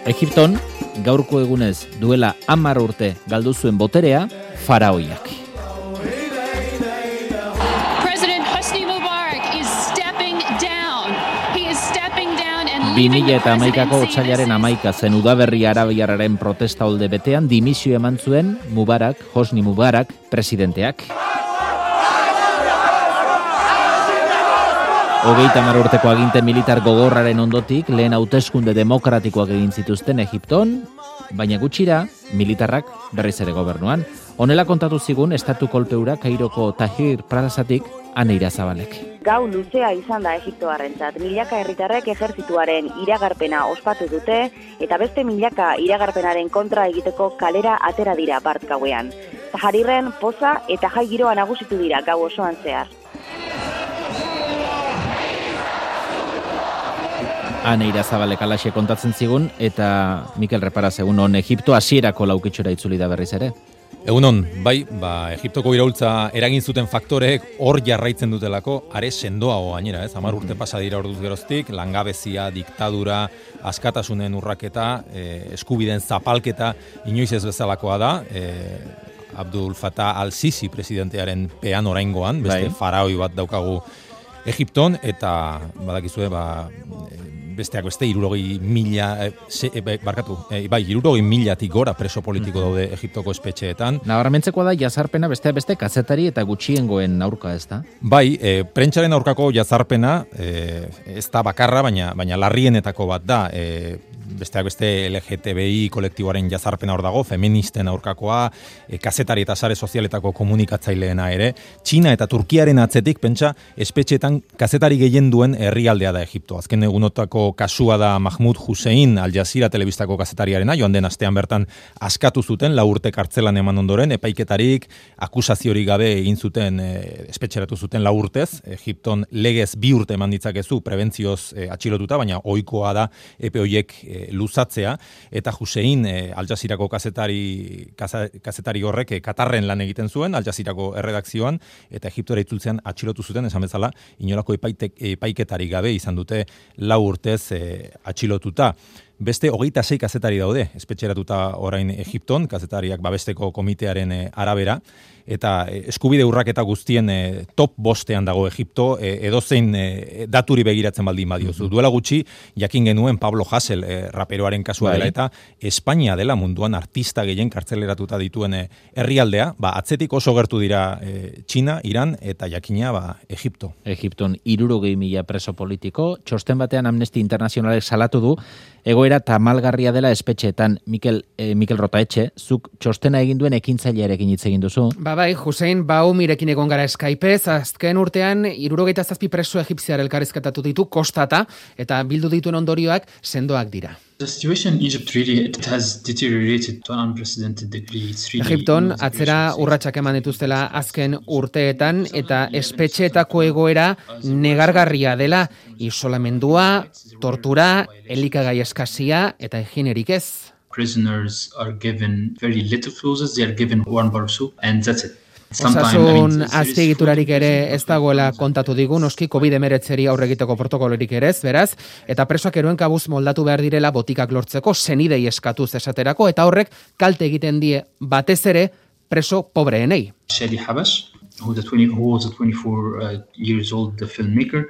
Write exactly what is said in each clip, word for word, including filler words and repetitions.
Egipton, gaurko egunez duela hamar urte galdu zuen boterea faraoiak. bi mila hamaikako otsailaren hamaika zen udaberri arabiarraren protesta olde betean dimisio eman zuen Mubarak, Hosni Mubarak, presidenteak. Hogeita hamar urteko aginte militar gogorraren ondotik lehen hauteskunde demokratikoak egin zituzten Egipton, baina gutxira militarrak berriz ere gobernuan. Honela kontatu zigun estatu kolpeura Kairoko Tahrir plazatik Ane Irazabalek. Gau luzea izan da Egiptoarrentzat. Milaka herritarrek ejertzituaren iragarpena ospatu dute eta beste milaka iragarpenaren kontra egiteko kalera atera dira bart gauean. Tahrirren poza eta jai giroa nagusitu dira gau osoan zehar. Ane Irazabalek alaxe kontatzen zigun eta Mikel Reparaz egun on Egipto hasierako laukitxora itzuli da berriz ere. Egunon, bai, ba, Egiptoko iraultza eragin zuten faktoreek hor jarraitzen dutelako, are sendoago gainera, ez? Hamar urte pasa dira orduz geroztik, langabezia, diktadura, askatasunen urraketa, eh, eskubideen zapalketa, inoiz ez bezalakoa da, eh, Abdul Fattah al-Sisi presidentearen pean oraingoan, beste bai. Faraoi bat daukagu Egipton, eta badakizue, ba, besteak beste, hirurogei mila, e, e, barkatu, e, bai, hirurogei milatik gora preso politiko daude Egiptoko espetxeetan. Nabarmentzekoa da jazarpena beste beste kazetari eta gutxiengoen aurka, ez da? Bai, e, prentsaren aurkako jazarpena e, ez da bakarra, baina, baina larrienetako bat da. E, besteak beste L G T B I kolektiboaren jazarpena hor dago, feministen aurkakoa, e, kazetari eta sare sozialetako komunikatzaileena ere. Txina eta Turkiaren atzetik, pentsa, espetxeetan kazetari gehien duen herrialdea da Egipto. Azken egunotako kasua da Mahmoud Hussein Al Jazeera telebistako kazetariarena, joan den astean bertan askatu zuten, lau urte kartzelan eman ondoren, epaiketarik, akusaziorik gabe egin zuten, e, espetxeratu zuten lau urtez, Egipton legez bi urte eman ditzakezu, prebentzioz e, atxilotuta, baina ohikoa da epe horiek e, luzatzea, eta Hussein e, Al Jazeerako kazetari, kazetari horrek e, Katarren lan egiten zuen, Al Jazeerako erredakzioan, eta Egiptora itzultzean atxilotu zuten, esan bezala, inolako epaitek, epaiketarik gabe izan dute lau urtez E, atxilotuta. Beste hogeita sei kazetari daude, espetxeratuta orain Egipton, kazetariak babesteko komitearen e, arabera, eta e, eskubide urraketa guztien e, top bostean dago Egipto, e, edozein e, daturi begiratzen baldin badiozu. Mm-hmm. Duela gutxi, jakin genuen Pablo Hasél e, raperoaren kasua dela, eta Espainia dela munduan artista gehien kartzeleratuta dituen e, herrialdea, ba, atzetik oso gertu dira e, Txina, Iran, eta jakina ba, Egipto. Egipton hirurogei mila preso politiko, txosten batean Amnesty Internationalek salatu du, egoera tamalgarria dela espetxeetan. Mikel, eh, Mikel Rotaetxe, zuk txostena egin duen ekintzailearekin hitz egin duzu. Ba bai, Hussein Baumirekin egon gara Skypez, azken urtean hirurogeita zazpi preso egipziar elkarrizketatu ditu kostata, eta bildu dituen ondorioak sendoak dira. The situation in Egypt really it has deteriorated to an unprecedented degree. It's really Egipton atzera urratsak eman dituztela azken urteetan eta espetxeetako egoera negargarria dela, isolamendua, tortura, elikagai eskasia eta higienerik ez. Prisoners are given very little food, they are given one bar of soup and that's it. Osasun azpiegiturarik ere ez dagoela kontatu digu, noski covid hemeretzeri aurre egiteko protokolorik ere ez, beraz, eta presoak eroen kabuz moldatu behar direla botikak lortzeko, senidei eskatuz esaterako, eta horrek kalte egiten die batez ere preso pobreenei. Shadi Habash, who was a twenty-four uh, years old the filmmaker,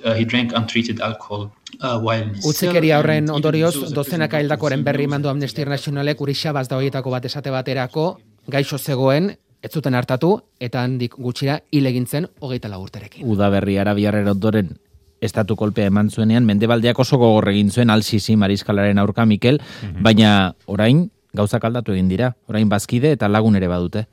uh, he drank untreated alcohol. Uh, Utzikeria horren ondorioz, dozenaka hildakoren berri mandu Amnesty Internationalek Urixabaz da horietako bat esate baterako, gaixo zegoen, ez zuten hartatu, eta handik gutxira hil egin zen hogeita lau urterekin. Udaberri arabiarren ondoren estatu kolpea eman zuenean, mendebaldeak oso gogor egin zuen Al-Sisi mariskalaren aurka, Mikel, mm-hmm. baina orain gauzak aldatu egin dira, orain bazkide eta lagun ere badute.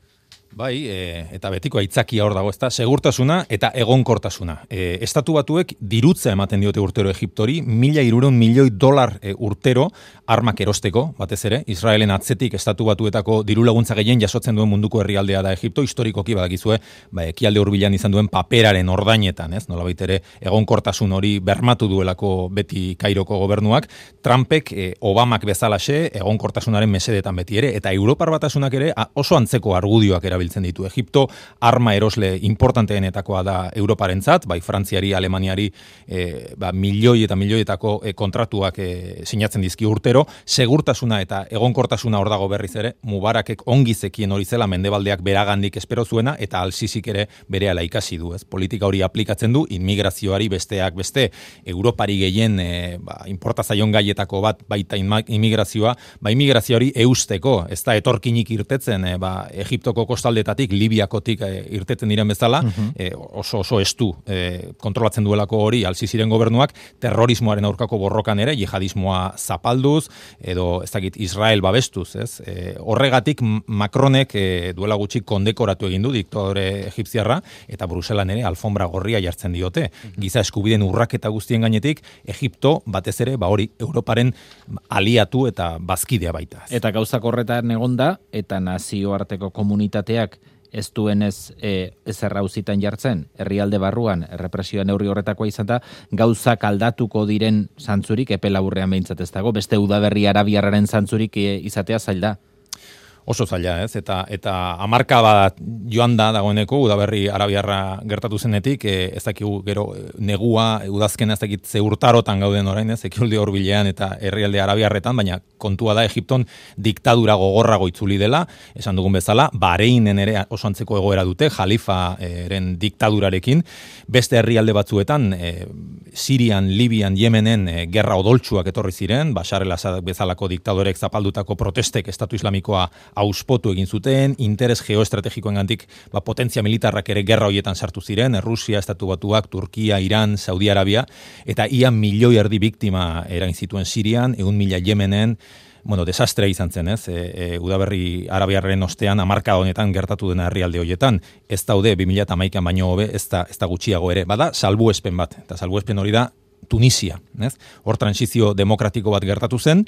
Bai, e, eta betiko aitzakia hor dago, ezta, segurtasuna eta egonkortasuna. E, estatu batuek dirutza ematen diote urtero Egiptori, mila hirurehun milioi dolar e, urtero armak erosteko, batez ere, Israelen atzetik estatu batuetako diru laguntza gehien jasotzen duen munduko herrialdea da Egipto, historikoki badakizue, ba, ekialde hurbilan izan duen paperaren ordainetan, ez, nolabait ere egonkortasun hori bermatu duelako beti Kairoko gobernuak, Trumpek, e, Obamak bezalaxe, egonkortasunaren mesedetan beti ere, eta Europar Batasunak ere oso antzeko argudioak erabili erabiltzen ditu. Egipto arma erosle importanteenetakoa da Europarentzat, bai Frantziari, Alemaniari e, ba, milioi eta milioietako e, kontratuak e, sinatzen dizki urtero, segurtasuna eta egonkortasuna hor dago berriz ere, Mubarakek ongi zekien hori zela mendebaldeak beragandik espero zuena, eta Al-Sisik ere berehala ikasi du, ez? Politika hori aplikatzen du, immigrazioari besteak beste, Europari gehien e, ba, inporta zaion gaietako bat baita immigrazioa, ba immigrazioari eusteko, ez da etorkinik irtetzen, e, ba, Egiptoko kostaldetatik, Libiakotik e, irtetzen diren bezala, uh-huh. e, oso oso estu e, kontrolatzen duelako hori Al-Sisiren gobernuak, terrorismoaren aurkako borrokan ere, jihadismoa zapalduz, edo ez dakit Israel babestuz, ez? E, horregatik Macronek e, duela gutxi kondekoratu egin du diktadore egipziarra, eta Bruselan ere alfombra gorria jartzen diote. Giza eskubideen urraketa guztien gainetik, Egipto batez ere, ba hori, Europaren aliatu eta bazkidea baita. Eta gauzak horretan egonda, eta nazioarteko komunitateak ez duenez e, ezerra auzitan jartzen, herrialde barruan, errepresioa neurri horretakoa izan da, gauzak aldatuko diren zantzurik, epe laburrean behintzat ez dago, beste udaberri arabiarraren zantzurik e, izatea zail da. Oso zaila, ez? Eta eta hamarka bat joan da dagoeneko udaberri arabiarra gertatu zenetik, e, ez dakigu gero negua, udazkena ez dakit ze urtarotan gauden orain, ez? Ekialde hurbilean eta herrialde arabiarretan, baina kontua da Egipton diktadura gogorrago itzuli dela, esan dugun bezala, Bahreinen ere oso antzeko egoera dute, Jalifaren diktadurarekin, beste herrialde batzuetan, e, Sirian, Libian, Yemenen e, gerra odoltsuak etorri ziren, Bashar el-Assad bezalako diktadorek zapaldutako protestek Estatu Islamikoa auspotu egin zuten, interes geoestrategikoengandik ba, potentzia militarrak ere gerra hoietan sartu ziren, Rusia, Estatu Batuak, Turkia, Iran, Saudi Arabia, eta ia milioi erdi biktima erain zituen Sirian, egun mila Yemenen, bueno, desastrea izan zen, ez? E, e, udaberri arabiarren ostean hamarka honetan gertatu dena herrialde hoietan, ez daude bi mila hamaikan baino hobe, ez da, ez da gutxiago ere, bada salbuespen bat, eta salbuespen hori da Tunisia, ez? Hor transizio demokratiko bat gertatu zen,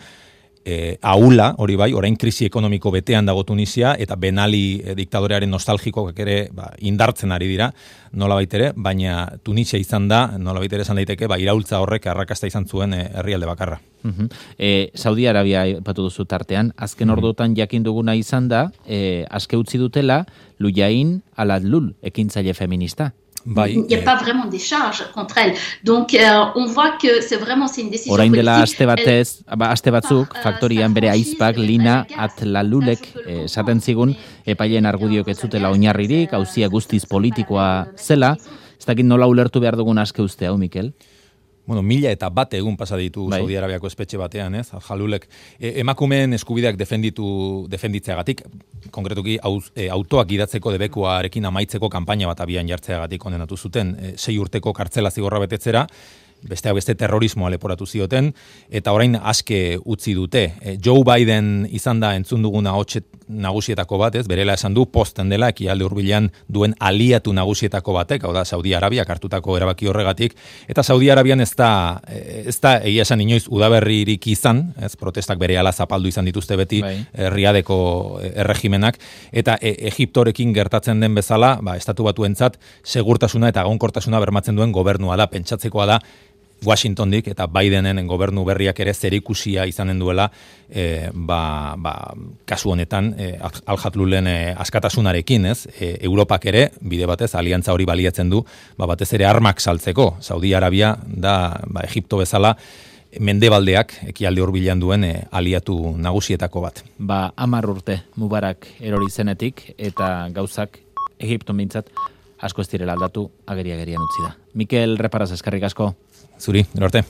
E, ahula, hori bai, orain krisi ekonomiko betean dago Tunisia, eta Ben Ali e, diktadorearen nostalgikoak ere ba, indartzen ari dira, nola baitere, baina Tunisia izan da, nola baitere esan daiteke, ba, iraultza horrek arrakasta izan zuen e, herrialde bakarra. Uh-huh. e, Saudi Arabia aipatu duzu tartean, azken uh-huh. orduotan jakin duguna izan da, e, aske utzi dutela, Lujain al-Adlul, ekintzaile feminista. Bai, il n'y a eh. pas vraiment des charges contre elle. Donc, euh, on voit que c'est vraiment c'est une décision politique. Orain dela aste batez, aste batzuk, faktorian bere aizpak Lina At-Lalulek esaten zigun, epaileen argudiok ez zutela oinarririk, auzia guztiz politikoa zela. Ez dakit nola ulertu behar dugun aske uste hau, Mikel? Bueno, mila eta bat egun pasa ditu bai. Saudi Arabiako espetxe batean, ez? Jalulek e, emakumeen eskubideak defenditu defenditzeagatik, konkretuki auz, e, autoak gidatzeko debekuarekin amaitzeko kanpaina bat abian jartzeagatik kondenatu zuten, e, sei urteko kartzela zigorra betetzera, besteak beste terrorismoa leporatu zioten, eta orain aske utzi dute. E, Joe Biden izan da entzun duguna hotxet nagusietako bat, ez? Berela esan du posten dela, ekialde hurbilean duen aliatu nagusietako batek, hau da Saudi Arabiak hartutako erabaki horregatik, eta Saudi Arabian ez da, ez da egia esan inoiz udaberririk izan, ez? Protestak berehala zapaldu izan dituzte beti bai. Riadeko erregimenak, eta e, Egiptorekin gertatzen den bezala, ba, Estatu Batuentzat segurtasuna eta egonkortasuna bermatzen duen gobernua da, pentsatzekoa da, Washingtondik eta Bidenen gobernu berriak ere zerikusia izanen duela e, ba, ba, kasu honetan e, Al-Hadlulen e, askatasunarekin, ez? E, Europak ere, bide batez, aliantza hori baliatzen du, ba, batez ere armak saltzeko. Saudi Arabia da, ba, Egipto bezala, mendebaldeak ekialde hurbilean duen e, aliatu nagusietako bat. Ba, hamar urte Mubarak erori zenetik eta gauzak Egipton mintzat asko ez direla aldatu ageri-agerian utzi da. Mikel Reparaz, eskerrik asko. Zuri, gero arte.